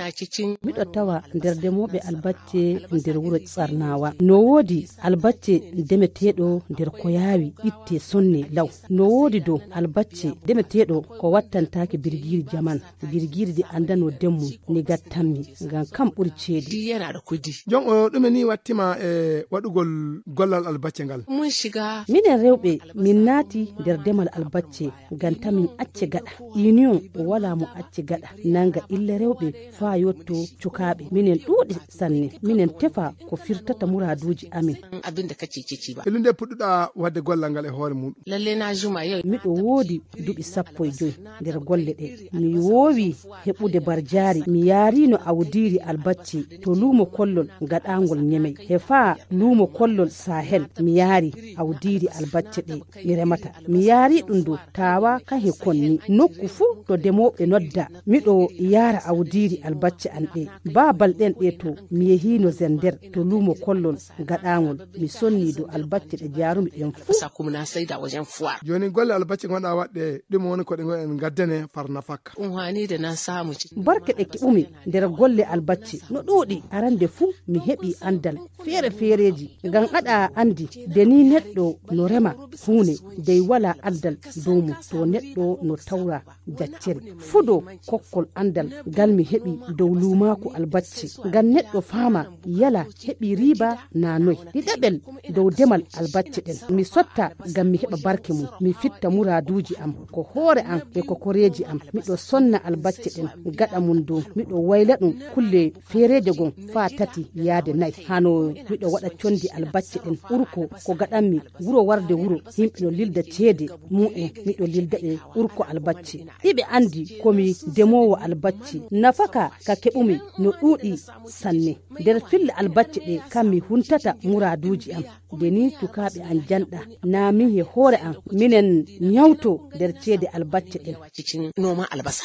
ina cikin miɗo tawa nder demoɓe albacce nder wuro Tsarnawa. No wodi albacce demeteɗo nder ko yawi itte sonne law. No wodi dow albacce demeteɗo ko wattantaki birgiri jaman. Birgiri di andano demmu ni gattanmi ngam kam ɓuri ceedi. yana da kudi. Jon o ɗume ni wattima waɗugol gollal albacce ngal? Mun shiga minen rewɓe min naati nder demal albacce ngam tamin acce gaɗa. Union wala mo acce gaɗa nanga ille rewɓe faa yotto cukaɓe. Minen ɗuuɗi sanne minen tefa ko firtata muraduji amin. abin da kake ciki ba. Ilunde puɗɗuɗa wadde gollal ngal e hoore muɗum. Lalle na juma yau. Miɗo woodi duɓi 15 nder golle ɗe. Mi woowi heɓude barjaari. Mi yaarino awdiri albacce to luumo kollol gaɗangol Nyemey. He faa luumo kollol Sahel mi yaari awdiri albacce ɗe mi remata. Mi yaari ɗum do tawa kahe konni nokku fuu to demoɓe nodda miɗo yaara awdiri albacce an ɗe. Babal ɗen ɗe to mi yehino Zender to luumo kollol gaɗangol mi sonni do albacce ɗe jaarumi ɗen fuu. Kuma na saida wajen fuwa. Joni golle albacce gonɗa waɗɗe ɗum woni ko ɗe en gaddane farna fakka. Unhani da na samu ci. Barke ɗe keɓumi nder golle albacce no ɗuuɗi. Arande fuu mi heɓi andal feere-feereji ngam aɗa andi de ni neɗɗo no rema huune dey wala andal dow mum to neɗɗo no tawra jaccere fudo kokkol andal ngal mi heɓi dow luumaku albacce ngam neɗɗo faama yala heɓi riba na noy. Ɗiɗaɓel dow demal albacce ɗen mi sotta ngam mi heɓa barke mum mi fitta muraduji am ko hoore am e ko koreji am. Miɗo sonna albacce ɗen gaɗa mum dow miɗo wayla ɗum kulle feereje gon faa 3 yaade 4 hano miɗo waɗa condi albacce ɗen urko ko gaɗanmi wuro warde wuro yimɓe no lilda ceede mu'en miɗo lilda ɓe urko albacce. Ɗiɓe andi komi demowo albacce nafaka ka keɓumi no ɗuuɗi sanne nder fille albacce ɗe kam mi huntata muraduji am de ni tukaɓe an janɗa na min he hoore am minen nyawto nder ceede albacce ɗen cikin noman albasa.